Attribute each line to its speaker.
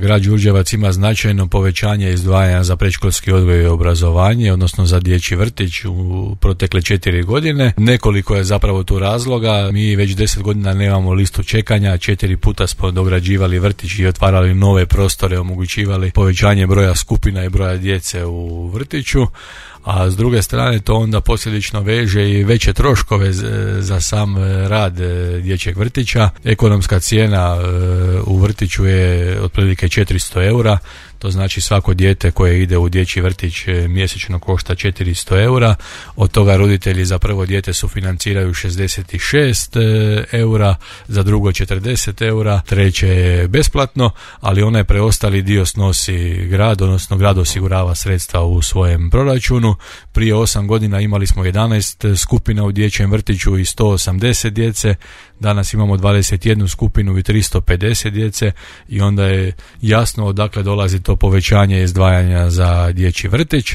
Speaker 1: grad Đurđevac ima značajno povećanje izdvajanja za predškolski odgoj i obrazovanje, odnosno za dječji vrtić u protekle 4 godine. Nekoliko je zapravo tu razloga. Mi već 10 godina nemamo listu čekanja, 4 puta smo dograđivali vrtić i otvarali nove prostore, omogućivali povećanje broja skupina i broja djece u vrtiću. A s druge strane to onda posljedično veže i veće troškove za sam rad dječjeg vrtića. Ekonomska cijena u vrtiću je otprilike 400 eura, to znači svako dijete koje ide u dječji vrtić mjesečno košta 400 eura, od toga roditelji za prvo dijete sufinanciraju 66 eura, za drugo 40 eura, treće je besplatno, ali onaj preostali dio snosi grad, odnosno grad osigurava sredstva u svojem proračunu. Prije 8 godina imali smo 11 skupina u dječjem vrtiću i 180 djece, danas imamo 21 skupinu i 350 djece i onda je jasno odakle dolazi to povećanje izdvajanja za dječji vrtić.